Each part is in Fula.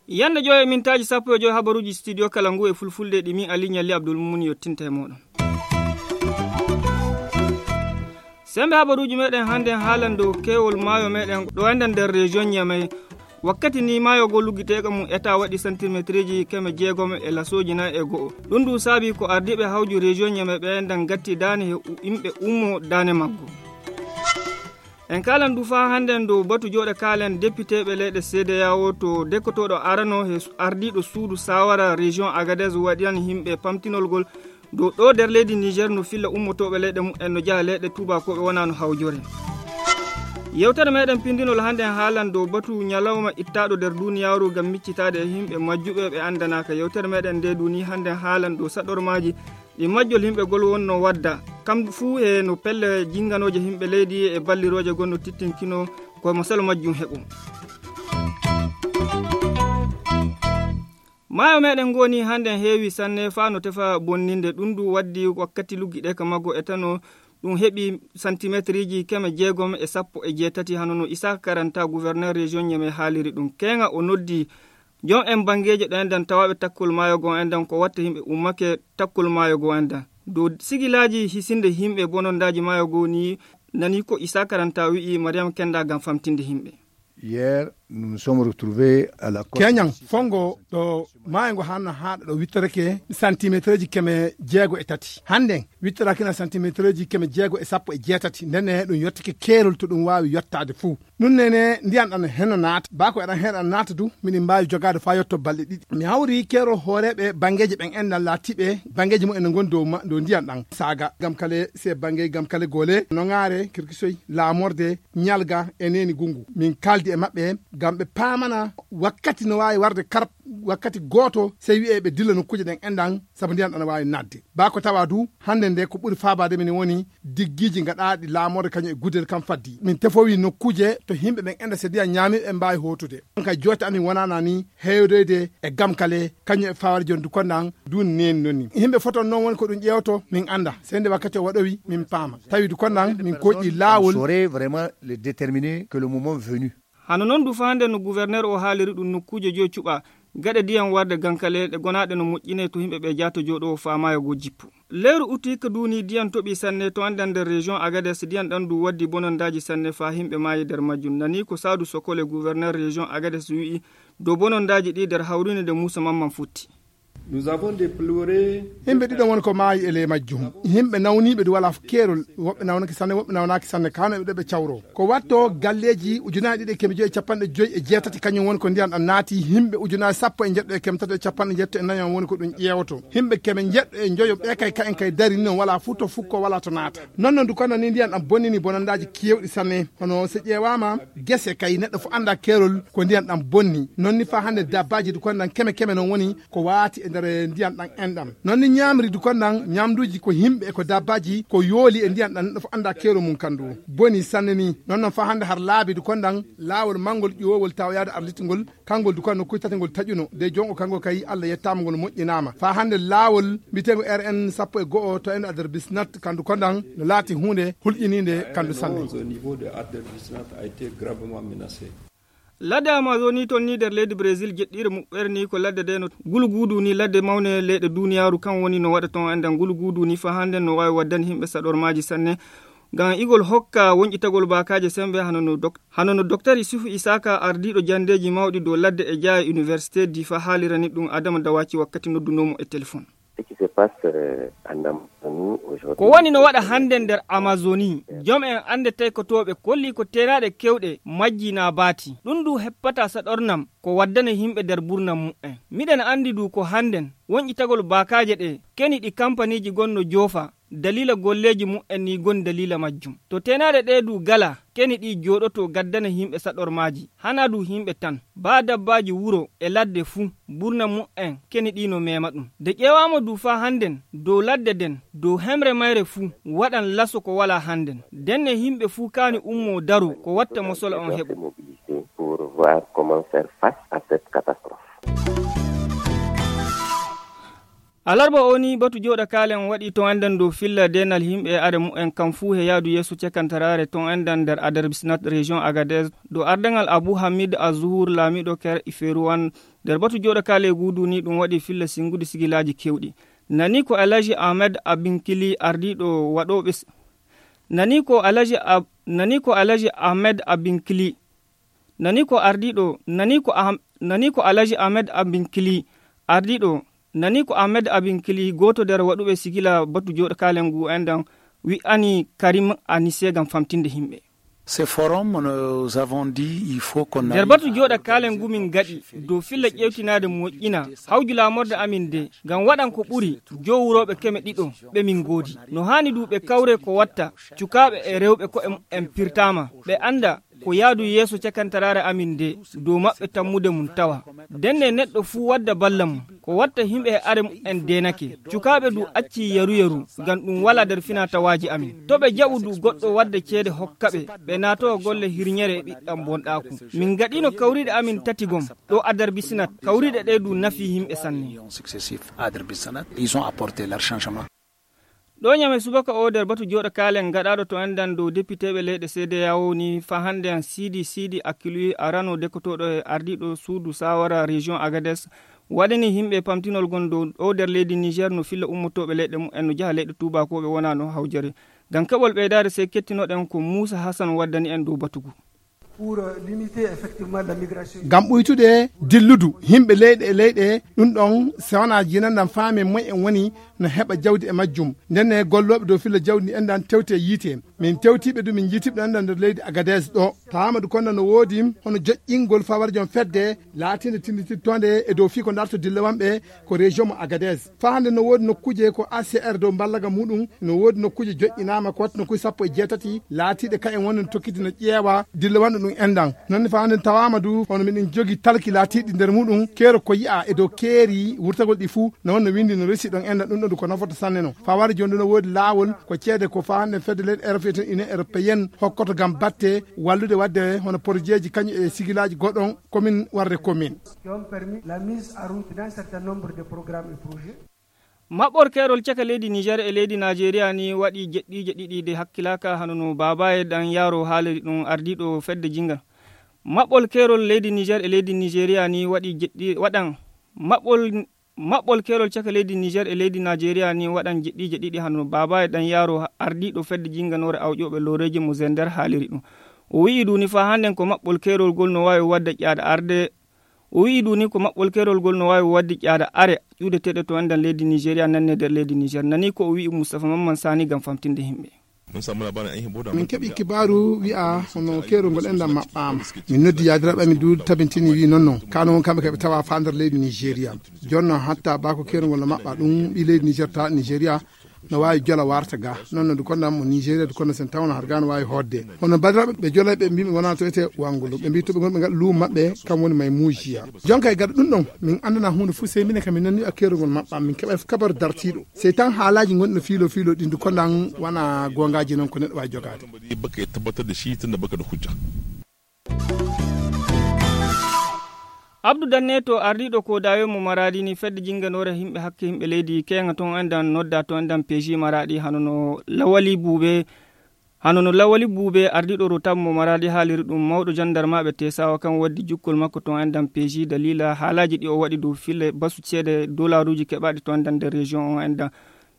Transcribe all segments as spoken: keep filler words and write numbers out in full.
Yande joyo e mintaaji sappo e joyo habaruuji studio kala ngu e fulfulde ɗi min Ali Ñalli Abdul Mumun yottinta e mooɗon. Sembe habaruuji meɗen hannde haalan dow keewol maayo meɗen ɗo enɗen nder région Niamey. Wakkati ni maayo go luggiteeka mum eta waɗi santimetriji keme jeegom e lasooji nayi e go'o. Ɗum ɗum saabi ko ardiiɓe hawju région Niamey ɓe enɗan gatti daane he u-, yimɓe ummo daane maggo. En kaalan du faa hannden dow batu jooɗe kaalen depiteeɓe leyɗe C D A O to dekkotooɗo arano he su-, ardiiɗo suudu saawara région Agadez waɗiran yimɓe pamtinol ngol dow ɗo nder leydi Niger no filla ummotooɓe leyɗe mum en no njaha leyɗe tuubakooɓe wonaa no hawjore. Yewtere meɗen pindinol hannden haalan dow batu ñalawma ittaaɗo nder duniyaaru ngam miccitaade e yimɓe majjuɓe ɓe anndanaaka. Yewtere meɗen nde duni hannden haalan dow saɗormaaji ɗi majjol yimɓe gol wonno wadda, kam fuu e no pelle jinganooje yimɓe leydi e ballirooje gonno tittinkino ko masalo majjum heɓo. Maayo meɗen ngoni hannden heewi sanne faa no tefa bonninde ɗum ndu waddi wakkati luggiɗe ka maggo e tano ɗum heɓi santimetriji keme jeegom e sappo e jeetati hano no Issa Karanta gouverneur région Niamey haaliri ɗum. Keeŋa o noddi jom en banngeeji ɗo enɗan tawaaɓe takkol maayo goo enɗan ko watta yimɓe ummake takkol maayo goo enɗan. Dow sigilaaji hisinde yimɓe bonondaaji maayo goo ni nani ko Issa Karanta wi'i Mariam Kenda ngam famtinde yimɓe. Hier, nous nous sommes retrouvés à la côte. Keñan, fongo ɗo maayo ngo hanno haaɗa ɗo wittorake santimetrji keme jeego e tati. Hannden, wittorakina santimetrji keme jeego e sappo e jeetati. Ndenne ɗum yottake keerol to ɗum waawi yottaade fuu. Ɗum nene ndiyan ɗan heno naata. Baa ko eɗan heɗan naata du, miɗen mbaawi jogaade faa yotto balɗe ɗiɗi. Mi hawri keerol hooreeɓe banngeeji ɓen enɗan laatiiɓe banngeeji mumen no ngoni dow ma-, dow ndiyan ɗan. Saaga, Gamkale, se bannge Gamkale Gole, Noŋaare, Kirkisoy, Laamorde, Ñalga e Neeni Gungu. Min kaaldi e maɓɓe ngam ɓe paamana wakkati no waawi warde karab, wakkati gooto, sey wi'ee ɓe dilla nokkuuje ɗen enɗan, sabu ndiyan ɗan no waawi naatde. Baa ko tawa du, hannde nde ko ɓuri faabaade min woni diggiiji gaɗaaɗi Laamorde kañum e Gudel kam faddi. Min tefowi nokkuuje to yimɓe ɓen enɗan so ndiyan ñaami ɓe mbaawi hootude. Ɗon kay joote amin wonaana ni heewdoyde e Gamkale kañum e Faawar Jondu Kondan du neen noni. Yimɓe foton noon woni ko ɗum ƴeewto min annda. Sey nde wakkati o waɗowi min paama. Tawi du Kondan min kooƴi laawol. On saurait vraiment le déterminer que le moment venu. Hano noon du faa nde no gouverneur o haaliri ɗum nokkuuje joy cuɓa gaɗe diyan warde Gankale ɗe gonaaɗe no moƴƴinee to yimɓe ɓe jaato jooɗoo faa maayo goo jippo. Leyru uti ka duuni diyan toɓi sanne to enɗan nder région Agadez diyan ɗan du waddi bonondaaji sanne faa yimɓe maayi nder majjum. Nani ko Saadu Sokole gouverneur région Agadez wi'i dow bonondaaji ɗi nder hawrinde nde Muusa Mamman futti. Nous avons déploré. Yimɓe ɗiɗo woni ko maayi e ley majjum. Yimɓe nawniiɓe du walaa keerol. Woɓɓe nawnake sanne, woɓɓe nawnaaki sanne. Kano e ɓe ɗo ɓe cawroo. Ko watto galleeji ujunaaji ɗiɗi e keme joyi e capanɗe joyi e jeetati kañum woni ko ndiyan ɗan naati. Yimɓe ujunaaji sappo e njeɗɗo e keme tato e capanɗe njeɗɗo e nayo woni ko ɗum ƴeewoto. Yimɓe keme njeɗɗo e njoyo ɓe kay, ka'en kay darini noon walaa fuu to fukko walaa to naata. Non non du kono ni ndiyan ɗan bonnini bonondaaji keewɗi sanne. Hono so ƴeewaama gese kay neɗɗo fof annda keerol ko ndiyan ɗan bonni. Non ni faa hannde dabbaaji du kono ɗan keme keme noon woni ko waati e nder ndiyan ɗan enɗan. Non ni ñaamri du kono ɗan ñaamduuji ko yimɓe e ko dabbaaji ko yooli e ndiyan ɗan neɗɗo fof annda keerol mum kan du. Boni sanne ni. Non non faa hannde har laabi du kono ɗan laawol manngol ƴuwoowol tawoyaade arditgol kanngol du kono nokkuuji tati ngol taƴuno. De jongo kanngol kay Allah yettaama ngol moƴƴinaama. Faa hannde laawol mbiteengo R N sappo e go'o to enɗan nder Bisnat kandu kono ɗan no laati huunde hulƴiniinde kandu sanne. Au niveau de Ader Bisnat a été gravement menacé. Ladde Amazoni toon ni nder leydi Brésil jeɗɗiire muɓɓere ni ko ladde de no gulugudu ni ladde mawne leyɗe duniyaaru kan woni no waɗa toon enɗan gulugudu ni faa hannde no waawi waddani yimɓe saɗormaaji sanne. Ngam igol hokka wonƴitagol baakaaje sembe hano no dok-, hano no Doktor Isufu Isaka ardiiɗo janndeeji mawɗi dow ladde e jaaye Université Difa haalirani ɗum Adama Dawaci wakkati noddunoo mo e telefon. Ce qui se passe, euh, en Amazonie aujourd'hui, ko woni no waɗa hannde nder Amazoni, jom en annde taykotooɓe kolli ko teenaaɗe keewɗe majji naa baati. Ɗum du heppataa saɗornam ko waddana yimɓe nder burnam mu'en. Miɗen anndi du ko hannden wonƴitagol baakaaje ɗe keni ɗi kampaniiji gonno joofa daliila golleeji mu'en ni gon daliila majjum. To teenaaɗe ɗe du gala keni ɗi jooɗoto gaddana yimɓe saɗormaaji, hanaa du yimɓe tan. Baa dabbaaji wuro e ladde fuu, burna mu'en keni ɗi no meema ɗum. Nde ƴeewaama du faa hannden, dow ladde nden, dow hemre mayre fuu, waɗan laso ko walaa hannden. Ndenne yimɓe fuu kaani ummoo daroo ko watta mosola on heɓo. Pour voir comment faire face à cette catastrophe. Alarba o ni batu jooɗa kaalen waɗi ton enɗan dow filla deenal yimɓe e are mumen kam fuu he yaadu yeeso cekantaraare ton enɗan nder Adarbisinat région Agadez, dow ardaŋal Abu Hamid Azuhur laamiiɗo Ker Iferuwan. Nder batu jooɗa kaale guudu ni ɗum waɗi filla singude sigilaaji keewɗi. Nani ko Alhaji Ahmed Abinkili ardiiɗo waɗooɓe s-, nani ko Alhaji Ab-, nani ko Alhaji Ahmed Abinkili, nani ko ardiiɗo, nani ko Ahm-, nani ko Alhaji Ahmed Abinkili ardiiɗo, nani ko Ahmed Abinkili gooto nder waɗuɓe sigila batu jooɗa kaalen ngu enɗan wi'ani Karim Anise ngam famtinde yimɓe. Ce forum, nous avons dit, il faut qu'on nder aille batu à jooɗa kaalen ngu min gaɗi dow filla ƴeewtinaade moƴƴina hawju laamorde amin nde ngam waɗan ko ɓuri jowurooɓe keme ɗiɗo ɓe min ngoodi. No haani du ɓe kawre ko watta cukaaɓe e rewɓe ko'e mumen pirtaama, ɓe annda ko yaadu yeeso cekantaraare amin nde dow maɓɓe tammude mum tawa. Ndenne neɗɗo fuu wadda balla mum, ko watta yimɓe e are mumen deenake. Cukaaɓe du acci yaru-yaru, ngam ɗum walaa nder finaa-tawaaji amin. To ɓe jaɓu du goɗɗo wadda ceede hokka ɓe, ɓe naatoo golle hirnyere e ɓiɗɗam bonɗaaku. Min ngaɗiino kawriiɗe amin tati gom, ɗo Adarbisinat. Kawriiɗe ɗe du nafii yimɓe sanne. Ils ont apporté leur changement. Ɗo Ñame subaka o nder batu jooɗa kaalen gaɗaaɗo to enɗan dow depiteeɓe leyɗe C D A O ni faa hannde an Siidi Siidi Akilui arano dekotooɗo e ardiiɗo suudu saawara région Agadez waɗani yimɓe pamtinol gon dow ɗo nder leydi Niger no filla ummotooɓe leyɗe mumen no jaha leyɗe tuubakooɓe wonaa no hawjere. Ngam keɓol ɓeydaade sey kettinoɗen ko Muusa Hasan waddani en dow batu ngu. Pour, euh, limiter effectivement la migration. Ngam ɓuytude dilludu yimɓe leyɗe e leyɗe, ɗum ɗon so wonaa jinanɗam faami moy en woni no heɓa jawdi e majjum. Ndenne gollooɓe dow filla jawdi ndi enɗan tewti e yiite. Min tewtiiɓe du min njiitiiɓe ɗon enɗan nder leydi Agadez ɗo. Tawaama du konda no woodi hono joƴƴingol fawar jom fedde laatiinde tinditittoonde e dow fii ko darto dillawanɓe ko région mo Agadez. Faa hannde no woodi nokkuuje ko A C R dow mballaga muɗum, no woodi nokkuuje joƴƴinaama ko watta nokkuuje sappo e jeetati laatiiɗe kayen wonde no tokkiti no ƴeewa dillawanɗo ɗum enɗan. Noon ne faa hannde tawaama du hono miɗen jogi talki laatiiɗi nder muɗum keero ko yi'a e dow keeri wurtagol ɗi fuu no wonno winndi no resi ɗon enɗan ɗum ɗon du ko nafoto sanne no. Faa wari jooni du no woodi laawol ko ceede ko faa hannde fedde leyɗe Europe, Union Européenne hokkoto ngam batte wallude waɗde hono porojeeji kañum e sigilaaji goɗɗon commune warde commune. Qui ont permis la mise en route d'un certain nombre de programmes et projets. Maɓɓol keerol caka leydi Niger e leydi Najeriya ni waɗi jeɗɗiije ɗiɗi de hakkilaaka hano no Babaye Ɗan Yaro haaliri ɗum ardiiɗo fedde jingal. Maɓɓol keerol leydi Niger e leydi Najeriya ni waɗi jeɗɗi-, waɗan maɓɓol, maɓɓol keerol caka leydi Niger e leydi Najeriya ni waɗan jeɗɗiije ɗiɗi hano no Babaye Ɗan Yaro ardiiɗo fedde jinganoore awƴooɓe looreeji mo Zender haaliri ɗum. O wi'i duni faa hannden ko maɓɓol keerol gol no waawi waɗde ƴaada arde O wi'i ɗum ni ko maɓɓol keerol ngol no waawi waɗde ƴaada are ƴuudeteeɗe to enɗan leydi Nijeriya nanne nder leydi Nijer. Nani ko o wi'i Mustapha Mamman Sani ngam famtinde yimɓe. Min keɓi kibaaru wi'a hono keerol ngol enɗan maɓɓaama. Min noddi yaadiraaɓe amin du tabintini wi'i non non. Kano won kamɓe kaɓe tawa faa nder leydi Nijeriya. Jooni non hatta baa ko keerol ngol no maɓɓa ɗum ɓii leydi Nijer ta Nijeriya no waawi jola warta ga. Non non du konɗan mo Nijeriya du konɗan sen tawno har ga no waawi hootde. Hono badiraaɓe ɓe jolayɓe mbiimi wona to ete wangulu. Ɓe mbi to ɓe ngon ɓe ngaɗa luumo maɓɓe kam woni may muujiya. Jonka e gaɗa ɗum ɗon min anndana huunde fof sey minen kam min nanni a keerol ngol maɓɓa min keɓa kabaru dartiiɗo. Sey tan haalaaji ngonɗi no fiilo fiilo ɗin du konɗan wona goongaaji non ko neɗɗo waawi jogaade. Baka e tabbatar da shi tun da baka da hujja. Abdou Danne to ardiiɗo ko daawe mo Maraadi ni fedde jinnganoore yimɓe hakke yimɓe leydi keeŋa toon enɗan nodda to enɗan P J Maraadi hano no Lawali Buube, hano no Lawali Buube ardiiɗo Rotab mo Maraadi haaliri ɗum mawɗo jandarmaaɓe Tesawa kan waddi jukkol makko toon enɗan P J daliila haalaaji ɗi o waɗi dow fille basu ceede dolaaruuji keɓaaɗi toon enɗan nder région on enɗan.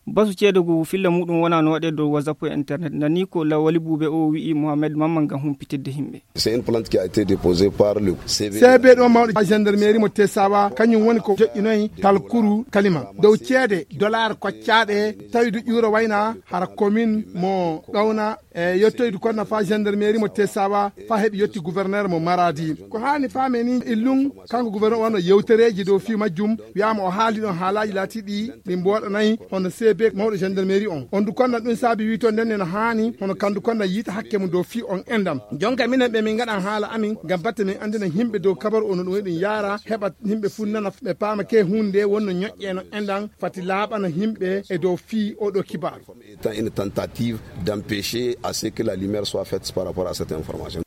Basu ceede ngu filla muɗum wona no waɗe dow WhatsApp e internet. Nani ko Lawali Buube o wi'i Mohamed Mamman ngam humpitidde yimɓe. C'est une plainte qui a été déposée par le C B. C B ɗo mawɗo gendarmerie mo Tesawa, kañum woni ko joƴƴinoyi talkuru kalima. Dow ceede dollar koccaaɗe, tawi du ƴuura wayna hara commune mo Ɗowna, e yettoydu kono faa gendarmerie mo Tesawa, faa heɓi yetti gouverneur mo Maradi. Ko haani faame ni illum, kanko gouverneur wano yewtereeji dow fii majjum, wi'aama o haali ɗon haalaaji laatiiɗi ɗi mbooɗanayi hono C B mawɗo gendarmerie on. On du konɗan ɗum saabi wi'i to ndenne no haani hono kandu konɗan yiita hakke mum dow fii on enɗan. Jonka minen ɓe min ngaɗan haala amin ngam batte min anndina yimɓe dow kabaru on no ɗum waɗi ɗum yaara, heɓa yimɓe fuu nana ɓe paama ke huunde wonno ñoƴƴe no enɗan fati laaɓana yimɓe e dow fii oo ɗoo kibaaru. Étant une tentative d'empêcher à ce que la lumière soit faite par rapport à cette information.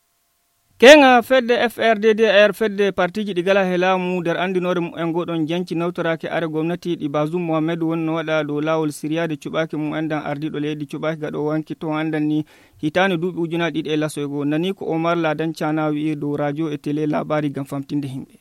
Keŋa fedde F R D D R, fedde partiiji ɗi gala he laamu, nder anndinoore mumen ngoɗon janci nawtoraaki are gomnati ɗi Bazoum Mohamed wonno waɗa dow laawol siryaade cuɓaaki mumen ɗan ardiiɗo leydi cuɓaaki gaɗo wanki to anndan ni hitaande duuɓi ujunaaji ɗiɗi e laso e goo. Nani ko Omar Ladan Cana wi'i dow radio e télé laabaari ngam famtinde himɓe.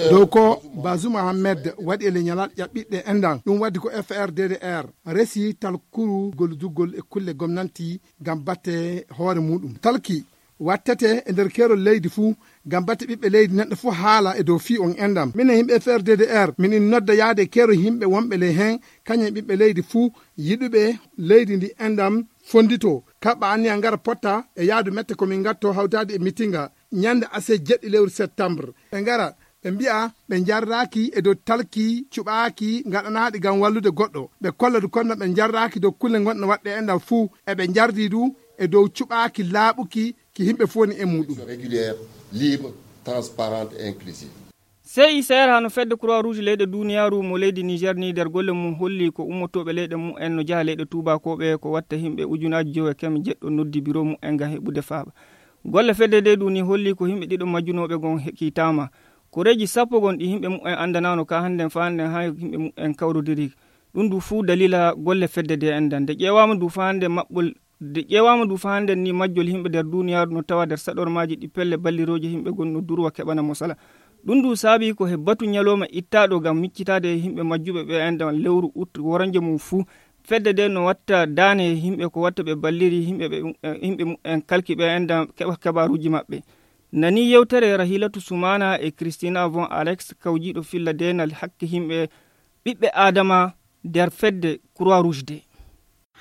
Dow ko Bazoum Mohamed waɗi e leñalal ƴaɓɓiɗɗe enɗan, ɗum waɗi ko F R D D R resi talkuru golludugol e kulle gomnanti ngam batte hoore muɗum. Talki wattete e nder keerol leydi fuu, ngam batte ɓiɓɓe leydi neɗɗo fuu haala e dow fii on enɗan. Minen yimɓe F R D D R, minin nodda yaade keerol yimɓe wonɓe ley heen, kañum e ɓiɓɓe leydi fuu, yiɗuɓe leydi ndi enɗan fonnditoo, kaɓɓa anniya ngara potta e yaadu mette ko min ngatto hawtaade e mitinga ñande ase jeɗɗi lewru septembre. Ɓe ngara, ɓe mbi'a ɓe njarraaki e dow talki cuɓaaki ngaɗanaaɗi ngam wallude goɗɗo. Ɓe kolla du kono ɓe njarraaki dow kulle ngonɗe waɗɗe enɗan fuu, e ɓe njardi du e dow cuɓaaki laaɓuki ki yimɓe fuu woni e muɗum. Régulière, libre, transparente et inclusive. C I C R hano fedde Croix Rouge leyɗe duniyaaru mo leydi Niger ni nder golle mum holli ko ummotooɓe leyɗe mumen no jaha leyɗe tuubakooɓe ko watta yimɓe ujunaaji jowi e keme jeɗɗo noddi biro mumen ngam heɓude faaba. Golle fedde nde duni holli ko yimɓe ɗiɗo majjunooɓe gon he-, kiitaama. Koreeji sappo gon ɗi yimɓe mumen anndanaano ka hannden fa hannden haa yimɓe mumen kawrodiri. Ɗum du fuu dalila golle fedde nde enɗan. Nde ƴeewaama du fa hannden maɓɓol, nde ƴeewaama du fa hannden ni majjol yimɓe nder duniyaaru no tawa nder saɗormaaji ɗi pelle ballirooje yimɓe gon no durwa keɓana mo sala. Ɗum du saabi ko he batu ñalooma ittaaɗo ngam miccitaade yimɓe majjuɓe ɓe enɗan lewru ut woranje mum fuu. Fedde nde no watta daane yimɓe ko watta ɓe balliri yimɓe ɓe, yimɓe mumen kalki ɓe enɗan keɓa kabaaruuji maɓɓe. Nani yewtere Rahilatu Sumana e Christina Von Alex kawjiiɗo filla deenal hakke yimɓe ɓiɓɓe Aadama nder fedde Croix Rouge de.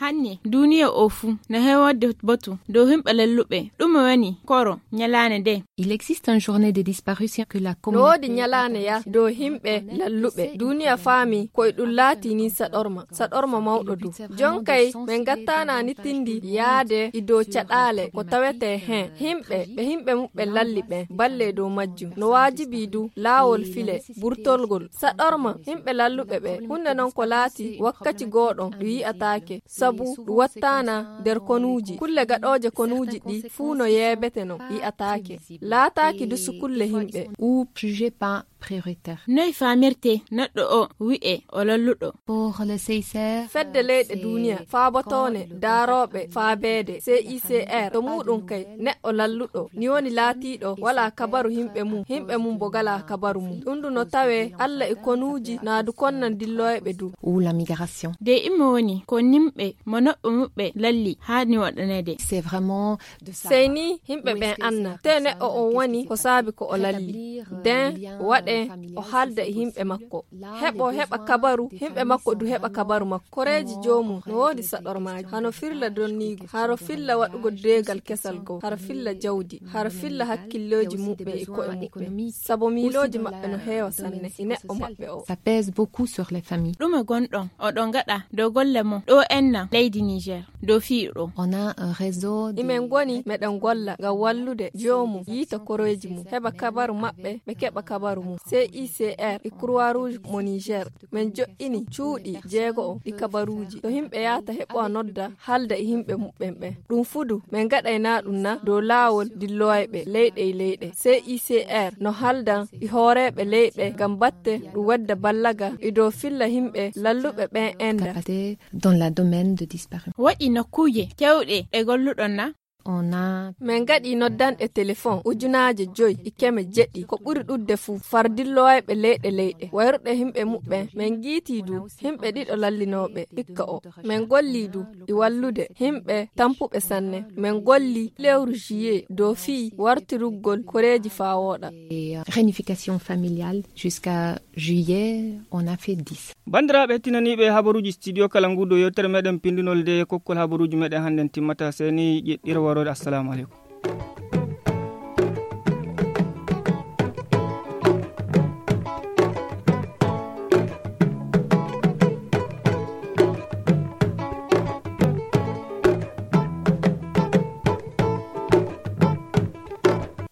Hanne, duniya o fuu na heeworde batu dow yimɓe lalluɓe. Ɗume woni koro ñalaande nde? Il existe une journée des disparitions que la No woodi communauté ñalaande ya dow yimɓe lalluɓe. Duniya faami ko e ɗum laati ni saɗorma, saɗorma mawɗo du. Jon kay, min ngattaana ni tindi yaade e dow caɗaale ko tawetee heen. Yimɓe, ɓe yimɓe muɓɓe lalli ɓen, balle dow majjum. No waajibi du laawol file burtolgol. Saɗorma, yimɓe lalluɓe ɓe, huunde non ko laati wakkati gooɗon ɗum yi'ataake. Sabu ɗum wattaana nder konuuji. Kulle gaɗooje konuuji ɗi fuu no yeebete no yi'ataake. Laataaki du sukulle yimɓe. Ou jugé pas prioritaire. Noy faamirte neɗɗo o wi'e o lalluɗo? Pour le C I C R. Fedde leyɗe duniya faabotoone daarooɓe faabeede C I C R. To muuɗum kay neɗɗo lalluɗo ni woni laatiiɗo walaa kabaru yimɓe mum, yimɓe mum bo ngalaa kabaru mum. Ɗum du no tawee Alla e konuuji naa du konnan dillooyɓe du. Ou la migration. De imo woni ko nimɓe mo noɓɓe muɓɓe lalli haani waɗaneede. C'est vraiment de ça. Sey ni yimɓe ɓen anna te neɗɗo on woni ko saabi ko o lalli. Den waɗe o haalda e yimɓe makko. Heɓo heɓa kabaru, yimɓe makko du heɓa kabaru makko. Koreeji joomum no woodi saɗormaaji. Hano firla donniigu, haro filla waɗugol deegal kesal goo, haro filla jawdi, haro filla hakkillooji muɓɓe e ko'e muɓɓe. Sabo miilooji maɓɓe no heewa sanne e neɗɗo maɓɓe o. Ça pèse beaucoup sur les familles. Ɗume gonɗon oɗon ngaɗa dow golle mon ɗo ennan leydi Niger dow fii ɗum? On a un réseau de Imen ngoni meɗen golla ngam wallude joomum yiita koreeji mum, heɓa kabaru maɓɓe, ɓe keɓa kabaru mum. C I C R e Croix Rouge mo Niger, min joɗɗini cuuɗi jeego'o ɗi kabaruuji. To yimɓe yahata heɓowa nodda, haalda e yimɓe muɓɓen ɓen. Ɗum fuu du, min ngaɗaynaa ɗum na dow laawol dillooyɓe leyɗe e leyɗe. C I C R no haaldan e hooreeɓe leyɗe ngam batte ɗum wadda ballaga e dow filla yimɓe lalluɓe ɓen enda. Capacité dans la domaine de disparition. Waɗi nokkuuje kewɗe ɗe golluɗon na? On a Min ngaɗii noddanɗe telefon ujunaaje joy e keme jeɗɗi, ko ɓuri ɗuɗde fuu, far dillooyɓe leyɗe leyɗe, wayruɗe yimɓe muɓɓen. Min ngiitii du yimɓe ɗiɗo lallinooɓe hikka o. Min gollii du e wallude yimɓe tampuɓe sanne. Min gollii lewru juillet dow fii wartirugol koreeji faa wooɗa. Et, euh, réunification familiale jusqu'à juillet, on a fait dix. Banndiraaɓe hettinaniiɓe habaruuji studio kala ngu, ɗo yewtere meɗen pindunol nde kokkol habaruuji meɗen hannden timmata. Seni ƴeɗɗira waroore. Assalamu aleykum.